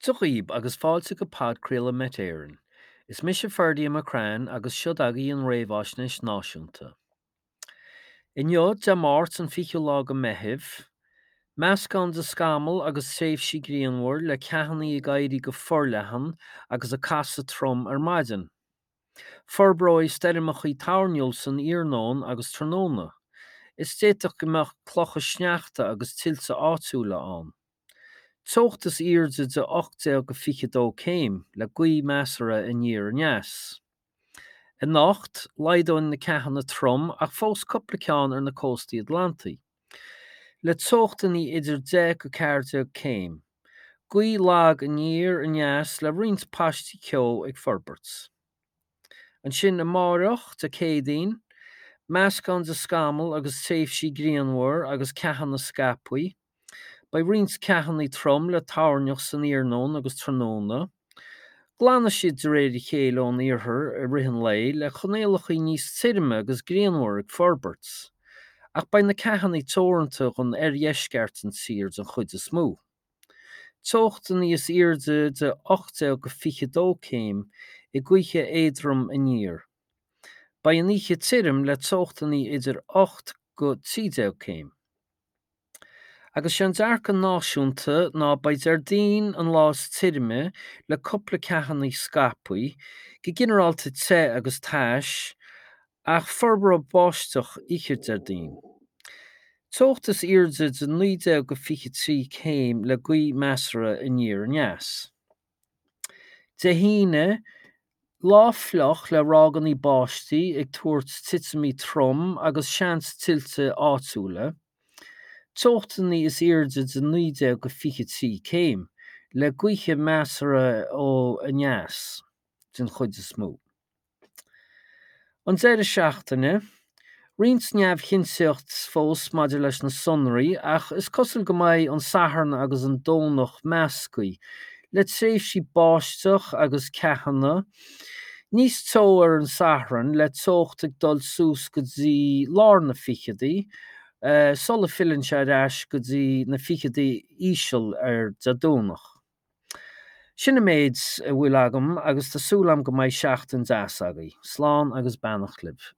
Dia dhaoib agus fáilte go podchraoladh Met Éireann. Is mise Ferdia McCrann agus seod agaibh an réamhaisnéis náisiúnta. Inniu, Dé Máirt an 20ú lá go Meitheamh, meascán de scamaill agus tréimhsí grianmhar le ceathanna ag éirí go forleathan agus ag casadh trom ar maidin. Forbróidh stoirmeachaí toirniúil san iarnóin agus tráthnóna, is d'fhéadfadh go mbeadh clocha sneachta agus tuilte áitiúla ann. Teocht is airde de 18-22 céim, le gaoth measartha aniar aneas. Anocht, laghdóidh na ceathanna trom ach fós cúpla ceann ar na cóstaí Atlantaí. Le teochtanna idir 10-14 céim. Gaoth lag aniar aneas le roinnt paistí ceo ag forbairt. Ansin amáireach, Dé Céadaoin, meascán de scamaill agus tréimhsí grianmhar agus ceathanna scaipthe. Beidh roinnt ceathanna trom le toirneach san iarnóin agus tráthnóna. Glanfaidh siad de réir a chéile ón iarthar i rith an lae le coinníollacha níos tirime agus grianmhar ag forbairt. Ach beidh na ceathanna teoranta don oirdheisceart den tír den chuid is mó. Teochtanna is airde de 18-22 céim i gaotha éadrom aniar. Beidh an oíche tirim le teochtanna idir 8-13 céim. Agus sé an dearcadh náisiúnta ná beidh Déardaoin an lá is tirime le cúpla ceathanna scaipthe, go ginearálta te agus tais, Ach forbróidh báisteach oíche Déardaoin. Teocht is airde de 19-23 céim le gaoth measartha aniar aneas. Dé hAoine, lá fliuch le ráigeanna báistí ag tabhairt titimí trom agus seans tuilte áitiúla. Teochtanna is airde de 19-23 céim, le gaotha measartha ó aneas, den chuid is mó. An deireadh seachtaine, roinnt neamhchinnteacht fós maidir leis na sonraí ach is cosúil go mbeidh an Satharn agus an Domhnach measctha, le tréimhsí báisteach agus ceathanna, níos teo ar an Satharn le teocht ag dul suas go dtí lár na ficheadaí sula filleann sé ar ais go dtí na ficheadaí íseal ar Dé Domhnach. Sin an méid a bhfuil agam agus tá súil agam go mbeidh seachtain deas agaibh. Slán agus beannacht libh.